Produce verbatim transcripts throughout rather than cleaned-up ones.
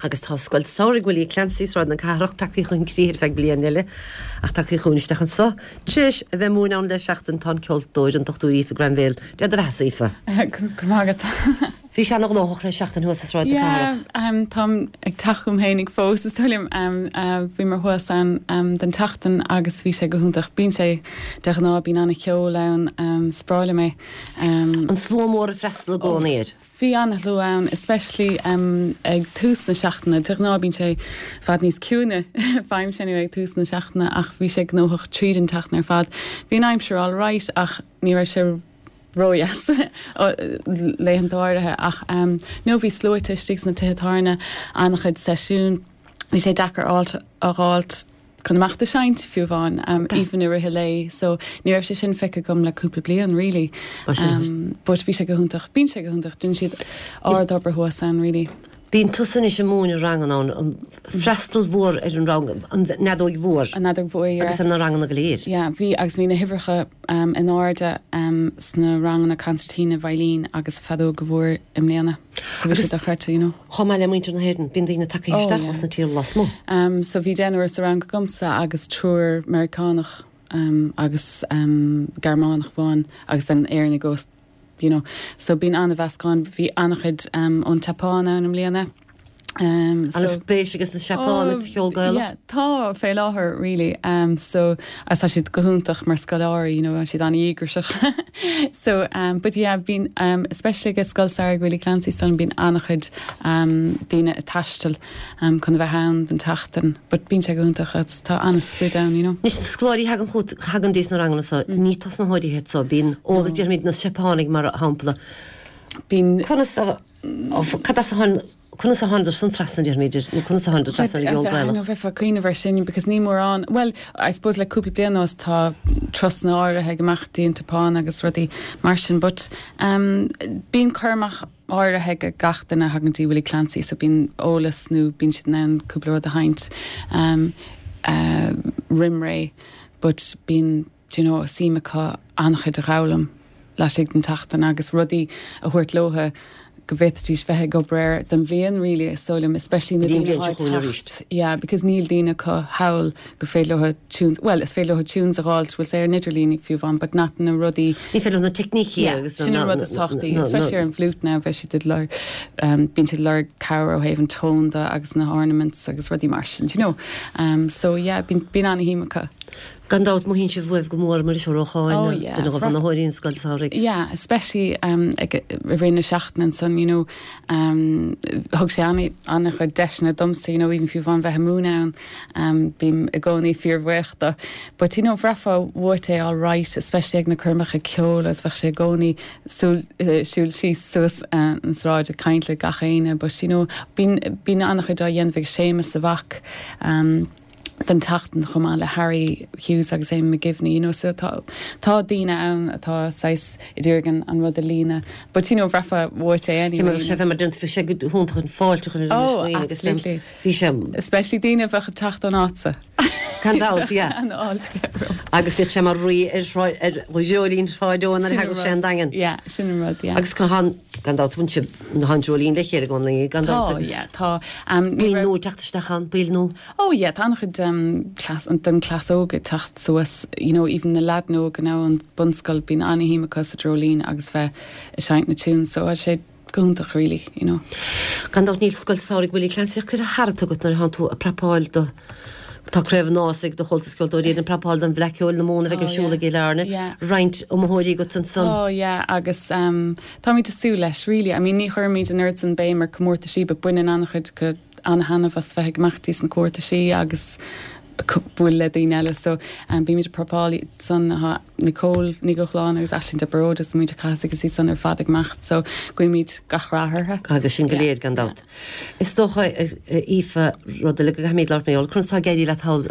Agus tá Scoil Samhraidh Willie Clancy Sráid na Cathrach tagtha chun críche ar feadh bliain eile ach tagtha chugainn isteach anseo. Tar éis a bheith ag múineadh ann le seachtain tá an ceoltóir an Dochtúir Aoife Granville. Dia do bheatha Aoife. Go maith agat. Bhí sé an-ghnóthach le seachtain thuas i Sráid na Cathrach. Yeah, um, táim ag teacht chugam féinig fós is dóigh liom um, uh, bhí mé thuas ann um, don tseachtain agus bhí sé go hiontach. Bíonn sé de ghnáth bíonn an-cheol ann um, is breá liom é. Um, An slua mór ag freastal i gcónaí air. Bhí an-shlua ann, especially um, ag tús na seachtaine, de ghnáth bíonn sé i bhfad níos ciúine faighim sin ag tús na seachtaine ach bhí sé gnóthach tríd an tseachtain ar fad. Bhí an aimsir all right ach ní raibh sé ródheas laethanta áirithe ach um, nó bhí sluaite istigh sna tithe tábhairne an-chuid seisiún. Bhí sé deacair áit a fháilt chun amach ag seinnt fiú amháin um, even i rith an lae, so ní raibh sé sin feicthe agam le cúpla bliain really. Um, but bhí sé go hiontach bíonn sé go hiontach déanann siad ard-obair thuas ann really. Bíonn tusa anois ag múineadh ranganna ann an freastal mhór ar an rang an fheadóg mhór An fheadóg mhór yeah. agus ar na ranganna go léir. Yeah, bhí agus bhí na huimhreacha um, in airde um, sna ranganna concertina veidhlín agus feadóg mhór i mbliana. So bhí sé dochreidte, you know. Chomh maith le muintir na hÉireann, bíonn daoine tagtha Oh, isteach yeah. as na tír lasmuigh. Um, so bhí deichniúr sa rang agamsa agus triúr Meiriceánach um, agus um, Gearmánach amháin agus den Éireann gos you know. So bíonn an-mheascán bhí an-chuid um, ón tSeapáin ann i mbliana. Um, An spéis agus na Seapáin agus cheol Gaelach. Yeah, tá fé láthair really um, so as tá siad go hiontach mar scoláirí you know, siad an-díograiseach so um, but yeah bíonn um, especially ag Scoil Samhraidh Willie Clancy san bíonn an-chuid um, daoine ag taisteal um, chun a bheith ann don tseachtain but bíonn sé go hiontach agus tá an-sprid ann you know. Anois na scoláirí thagann chugat thagann dtí na ranganna so ní tosnaitheoirí iad so bíonn eolas déarfaimid na Seapánaigh mar shampla. Bíonn Conas a cad as a tháin conas a tháinig san trasna déarfaimid nó conas a tháinig trasna ar cheol Gaelach. bheith cuimhneamh ar sin because ní mórán well I suppose le cúpla bliain anuas tá turasanna áirithe ag imeacht dtí an tSeapáin agus rudaí mar sin but um, bíonn cur amach áirithe ag gach duine a thagann dtí Willie Clancy so bíonn eolas nó bíonn siad in ann cúpla rud a sheinnt um, uh, roimh ré but bíonn you know, suim acu an-chuid a fhoghlaim laistigh den tseachtain agus rudaí a thabhairt leo go bhféadfaidís bheith ag obair don bhliain really is dóigh liom especially na Go dtí an daoine bhliain seo atá ag chugainn teacht. arís. Yeah, because níl daoine acu thall go féidir leo tunes well is féidir leo tunes a fháilt bhfuil sé ar an idirlíon fiú amháin but not na rudaí Ní féidir na teicnící Yeah, agus sin an rud is tábhachtaí especially ar an flute now bheith siad lorg um, bíonn siad lorg cabhair ó thaobh an tone de agus na ornaments agus rudaí mar sin you know um, so yeah bíonn bíonn an-shuim acu Gan dabht mothaíonn sibh uaibh go mór mar is ócháin Oh, yeah. duine de bhunaitheoirí an scoil samhraidh. Yeah, especially um, ag i rith na seachtaine san you know um, thug sé an an-chuid deiseanna domsa you know, even fiú amháin bheith ag múineadh ann um, bím i gcónaí fíorbhuíoch dó. But you know, bhraithfeá uait é all right, especially ag na coirmeacha ceoil agus bheadh sé i gcónaí súil uh, siúl síos suas uh, an sráid ag caint le gach éinne, but you know, bíonn bíonn an-chuid á dhéanamh ag Séamus a mhac um, den tseachtain chomh maith le Harry Hughes agus Amy McGivney, you know, so tá tá daoine ann atá sais i dtígan an rud a líne, but you know, bhraithfeá uait é anyway. sé mar den sé go hiontach an fáilte chun Oh, absolutely. Bhí sé Especially daoine a bheadh ag teacht ón áitse. Gan dabht, yeah. An fháilte. agus bhí sé mar rí ar ar Dreoilín Shráid Eoin ar thagadh sé an Daingean. Yeah, sin an rud, yeah. Agus gan gan dabht bhain sibh an Dreoilín le chéile gan gan Tá, dabht agus yeah, tá. Um, ní Bíonn raibh- nó teacht isteach an bíl nó Oh yeah, tá an-chuid um, cleas an den cleas óg ag teacht suas, you know, even na leaideanna óga now an bunscoil bíonn an-shuim acu sa Dreoilín agus bheith ag seinnt na tunes, so tá sé go hiontach really, you know. Gan dabht níl scoil samhraidh Willie Clancy curtha thart agat nuair atá tú ag prapáil do Tá craobh nás ag do Chomhaltas Ceoltóirí an prapáil don Fhleadh Cheoil na Mumhan a bheidh Oh, ar siúl yeah. ag Éile Yeah. Roinnt iomaitheoirí agat ansan. Oh yeah, agus um, táimid ag súil leis really. I mean ní chuirimid an oiread sin béim ar comórtaisí, but baineann an-chuid acu an-taitneamh as bheith ag imeacht dtí na comórtaisí agus bualadh le daoine eile so um, bímid ag prapáil san ha Nicole Ní Ghochlán agus Aisling de Bród is muid cas agus í san ar fad ag imeacht so guímid gach rath orthu. agus sin go léir gan dabht. Is dócha Aoife rud le go méid leir mé chun tá géirí le thall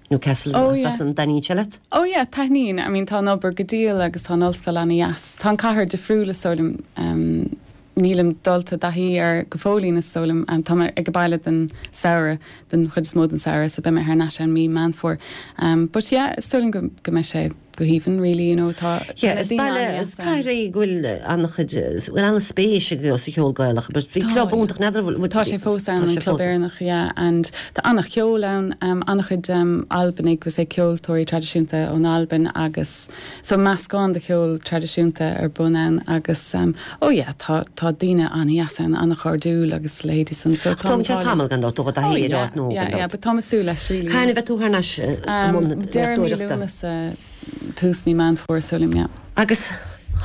Newcastle Oh, yeah. an taitníonn sé leat? Oh yeah, taitníonn. I mean tá an obair go diail agus tá an ollscoil an-deas. Tá an cathair difriúil is dóigh liom um, nílim dulta i dtaithí air go fóillín is dóigh liom um, tá mé ag baile den samhradh den chuid is mó den samhradh so beidh mé thar n-ais an mí Meán Fómhair. Um, but yeah, is dóigh liom go, go mbeidh sé go haoibhinn really you know tá Yeah, is baile is cathair é go bhfuil an-chuid bhfuil an-spéis ag sa cheol Gaelach, but bhí club iontach n'fheadar Tá sé fós ann an Club Éireannach yeah, and tá an-cheol ann um, an-chuid um, Albanaigh agus é ceoltóirí traidisiúnta ón Albain agus so meascán de cheol traidisiúnta ar bun ann agus um, oh yeah, tá tá daoine an-deas ann an-chairdiúil agus leithéidí san so Tá sé tamall gan dó a hé nó yeah, yeah, but tá sú leis really. Cathain a bheidh tú thar n-ais Deireadh tús mí Meán Fómhair sílim yeah. Agus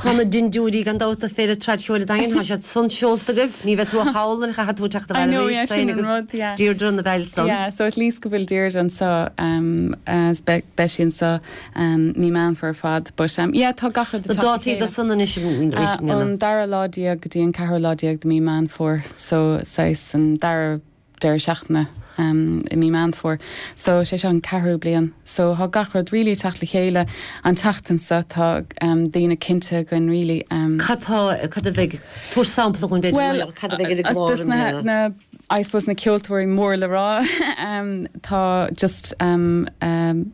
Tá na dindiúirí gan dabht Féile Traidcheoil Daingean tá siad san seolta agaibh, ní bheidh tú a chailliúint chaithfidh tú teacht I know, yeah, sin an rud, yeah. Deirdre na bheil san. Yeah, so at least go bhfuil Deirdre anseo um, as be beidh sí anseo um, mí Meán Fómhair ar fad, but um, yeah, tá gach rud So dátaí do san anois Uh, an dara lá déag go dtí an ceathrú lá déag de mí Meán Fómhair, so saghas an dara deireadh seachtaine um, i mí Meán Fómhair. So sé seo an ceathrú bliain. So tá gach rud really teacht le chéile an tseachtain seo tá um, daoine cinnte againn really. Um, Cad tá cad a bheidh tabhair sampla chun b'fhéidir cad a bheidh ar uh, na, na, I suppose na ceoltóirí mór le rá um, tá just um, um,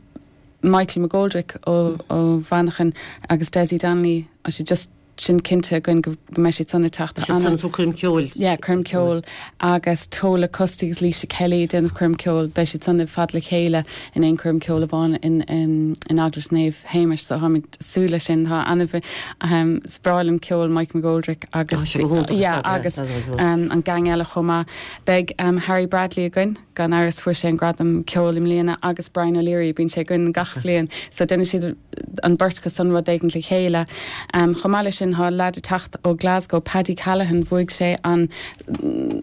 Michael McGoldrick ó, ó Mhanchain agus Desi Donnelly a sé just sin cinnte againn go go mbeidh siad san teacht san tú coirm ceoil. Yeah, coirm ceoil agus Tola Custy agus Lisa Kelly déanamh coirm ceoil beidh siad san fad le chéile in aon coirm ceoil amháin in, in, in Eaglais Naomh Shéamais so táimid súil sin tá an um, is breá liom ceol Mike McGoldrick agus Tá sé go hiontach yeah, ar fad, agus yeah, tá sé go um, an gang eile chomh maith beidh um, Harry Bradley againn gan amhras fuair sé an gradam ceoil i mbliana agus Brian O'Leary bíonn sé againn gach bliain so déanfaidh siad an bheirt acu san rud éigin le chéile um, chomh maith leis sin tá lad ag teacht ó Glasgow Paddy Callaghan bhuaigh sé an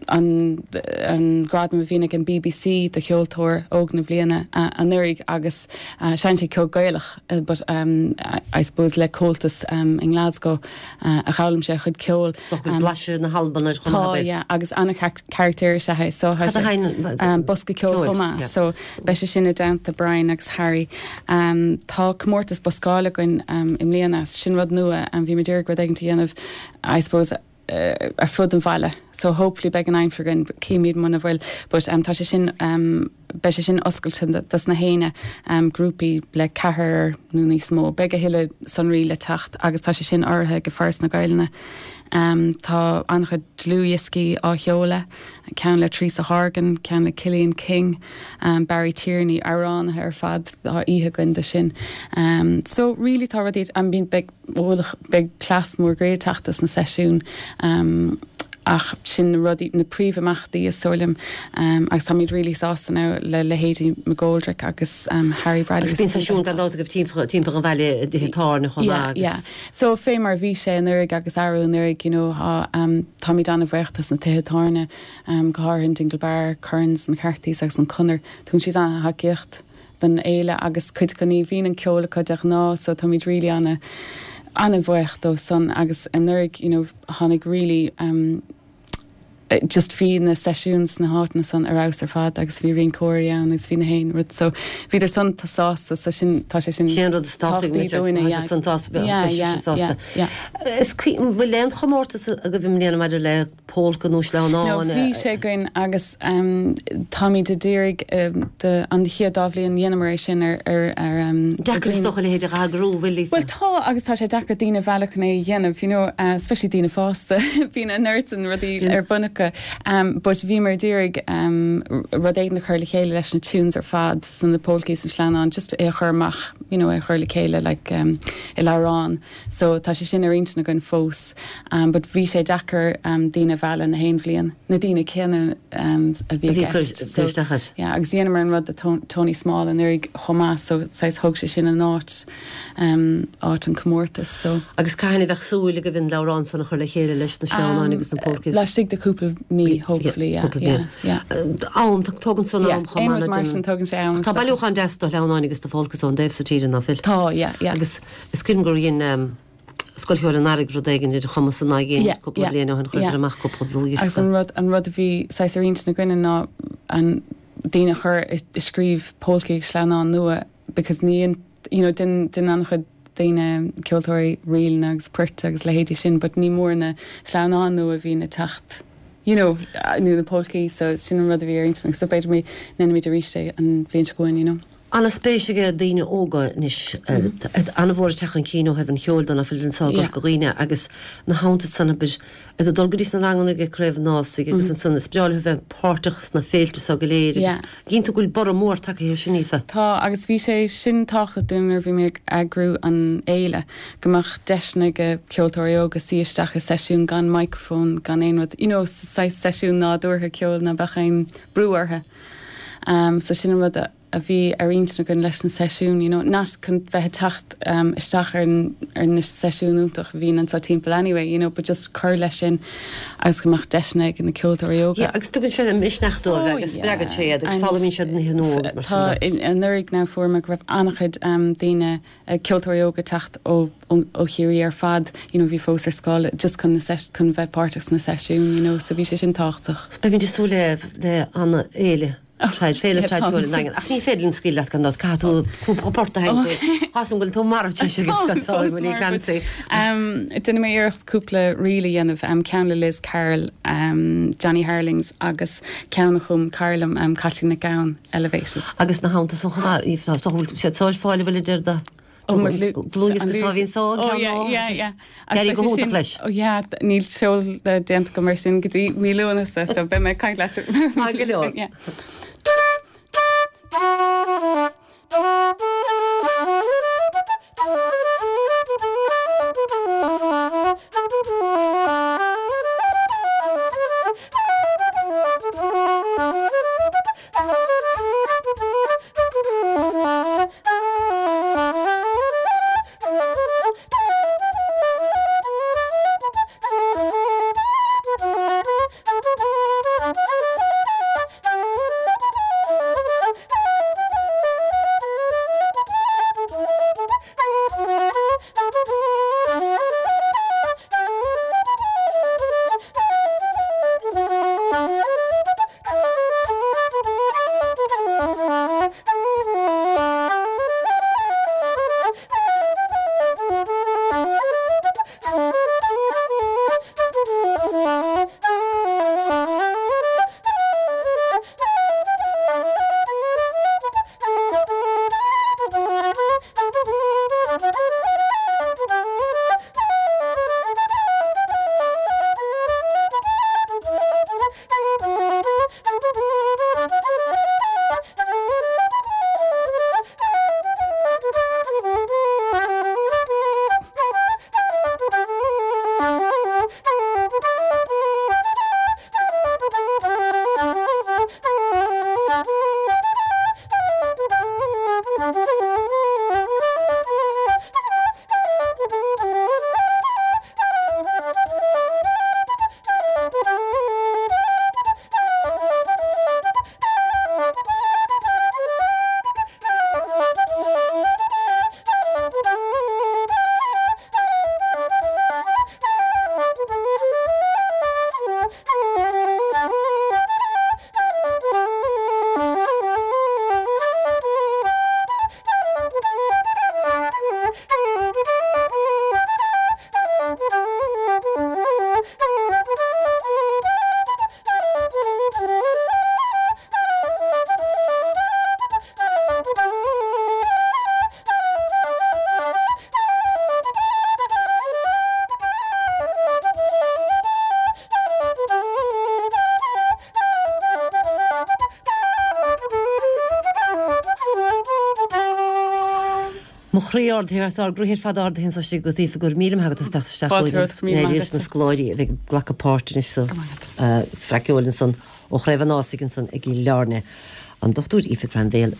an an gradam a bhíonn ag an BBC do cheoltóir óg na bliana uh, anuraidh agus uh, seinneann sé ceol Gaelach uh, but um, I, I suppose le Comhaltas um, in Glasgow uh, a d'fhoghlaim sé a chuid ceoil So bhfuil blaiseadh na hAlban ar Tá yeah, agus an-charachter sé so Cad a hain- um, bosca ceoil ceoil, chomh maith yeah. so beidh sé sin i dteannta Brian agus Harry um, tá comórtas boscála againn um, i mbliana sin rud nua an bhí dúr go ag déanamh I suppose uh, ar fud an bhaile so hopefully beidh an aimsir againn címid muna bhfuil but um, tá sé sin um, beidh sé sin oscailte dos na héinne um, grúpaí le ceathrar nó níos mó beidh a thuilleadh sonraí le teacht agus tá sé sin urraithe ag Foras na Gaeilge Um, tá an-chuid dlúthdhioscaí á sheoladh, ceann le Teresa Horgan, ceann le Killian King, um, Barry Tierney amhránaithe ar fad tá oíche againn de sin. Um, so really tá rudaí an bíonn beidh beidh cleas mór gré teacht as na seisiún. Um, ach sin na rudaí na príomhimeachtaí is dóigh liom um, agus táimid really sásta now le leithéidí McGoldrick agus um, Harry Bradley. Agus bíonn seisiún gan dabht agaibh timpeall timpeall an bhaile tithe tábhairne chomh Yeah, maith yeah. agus So fé mar bhí sé anuraidh agus arú anuraidh you know, tá um, táimid an-bhuíoch dos na tithe tábhairne um, go háirithe Dingle Bar, Currans an Cartís agus an Conair, Tugann siad an-tacaíocht don fhéile agus cuid acu ní bhíonn an ceol acu de ghnáth, so táimid really an- an-bhuíoch dó san agus anuraidh you know, tháinig really um, eh, just bhí na seisiúin sna háiteanna san ar fheabhas ar fad agus bhí rinceoirí ann agus bhí na haon rud so bhíodar san tá sásta so sin tá sé sin Sin rud tábhachtach dúinne, yeah. san Yeah, yeah, yeah, yeah. Is bhfuil aon chomórtas agaibh i mbliana maidir le polca nó sleamhnán No, bhí sé againn agus um, táimid ag iarraidh um, de an chéad dá bhliain dhéanamar é sin ar ar ar um, Deacair is dócha le héidir agrú bhfuil Well tá agus tá sé deacair daoine a mhealladh chun é a dhéanamh, you know, uh, especially daoine fásta bíonn an oiread sin rudaí ar bun acu. Um, but bhíomar ag iarraidh um, rud éigin a chur le chéile leis na tunes ar fad san na polcaí san sleamhnán, just é a chur amach, you know, é a chur le chéile like, um, i leabhrán. So tá sé sin ar intinn againn fós. Um, but bhí sé deacair um, daoine a mhealladh na haon bhliain, na daoine céanna um, a bhí A bhí i gceist. cur- cur isteach air. Yeah, agus dhéanamar an rud do Tony Small anuraidh chomh maith, so saghas thóg sé sin an áit um, áit an comórtas so Agus cathain a bheadh súil agaibh an leabhrán san a chur le chéile leis na sleamhnáin agus na polcaí. Laistigh de cúpla mí hopefully yeah, Cúpla yeah, bliain. yeah. Am tógann san Yeah, am chomh aon maith rud mar le sin tógann sé am Tá bailiúchán deas de shleamhnáin agus de pholcaí ón dtaobh sa tíre ná fuil. Tá yeah, yeah. Agus is cuimhin gur dhein um, Scoil Cheoil an Earraigh rud éigin ar chumas an Yeah, cúpla yeah, bliain ó shin chuir yeah. amach cúpla dlúthdhiosca. Agus an rud an rud a bhí saghas ar intinn againne ná an daoine a chur i i scríobh polcaí sleamhnán nua because ní you know, den den an-chuid daoine ceoltóirí ríleanna agus poirt agus leithéidí sin, but ní mór na sleamhnáin nua a bhí ag teacht. You know, nó na polcaí, so sin an rud a bhí ar intinn, so b'fhéidir mé ndéanfaimid arís é an bhliain seo chugainn, you know. An-spéis ag daoine óga anois an-mhór ag teacht chun cinn ó thaobh an cheoil de ná fuil anseo i gCorca Dhuibhne agus ina theannta san abair ag dul go dtí sna ranganna ag Craobh an Ásaigh agus ansan is breá leo bheith páirteach sna féilte seo go léir agus cinnte go bhfuil borradh mór tagtha air sin Aoife. Tá agus bhí sé sin tábhachtach dúinn nuair a bhí mé ag eagrú an fhéile go mbeadh deiseanna ag ceoltóirí óga suí isteach i seisiún gan microphone gan aon rud you know saghas seisiún nádúrtha ceoil ná beadh aon brú orthu. Um, so sin an rud a a bhí ar intinn againn leis na seisiún, you know, not chun bheith ag teacht um, isteach ar, ar na seisiún iontach a bhíonn anseo timpeall anyway, you know, but just cur leis sin agus go mbeadh deiseanna ag na ceoltóirí óga. Yeah, agus tugann sé misneach dóibh agus spreagann sé iad agus foghlaimíonn siad nithe nua agus mar sin Tá de. anuraidh now fuair mé go raibh an-chuid um, daoine uh, ceoltóirí óga teacht ó ó ó Chiarraí ar fad, you know, bhí fós ar scoil just chun na seis chun bheith páirteach sna seisiún, you know, so bhí sé sin tábhachtach. Beimid ag súil le le an-fhéile Traid féile traidisiúil an Daingin. Ach ní féidir linn scaoileadh leat gan dabht caithfidh tú cúpla port a sheinnt. Tá súil agam go bhfuil tú marbh tar éis ag scoil Willie Clancy. Um, Déanfaidh mé iarracht cúpla ríl a dhéanamh um, ceann le Liz Carroll, um, Johnny Harlings agus ceann a chum cara liom um, Caitlín Nic Gabhann, Elevated. Agus na hamanta san chomh maith tá siad sóil fáil bhfuil idir do Ó, mar lu- dlúthdhiosca sá bhíonn sá Oh, yeah, yeah, yeah. D'éirigh go hiontach leis. Oh, yeah, níl seol déanta go mar sin go dtí mí Lúnasa, so beidh mé ag caint leat. Maith go leor. Yeah. Mo chroí ardaithe ár gcroíthe ar fad ardaithe anseo istigh agat Aoife go raibh míle maith agat as teacht isteach Fáilte romhat, go míle maith leis na scoláirí a bheidh ag glacadh páirt anois sa Fleadh Cheoil ansan ó Chraobh an Ásaigh ansan ag Cill Airne. An Dochtúir Aoife Granville.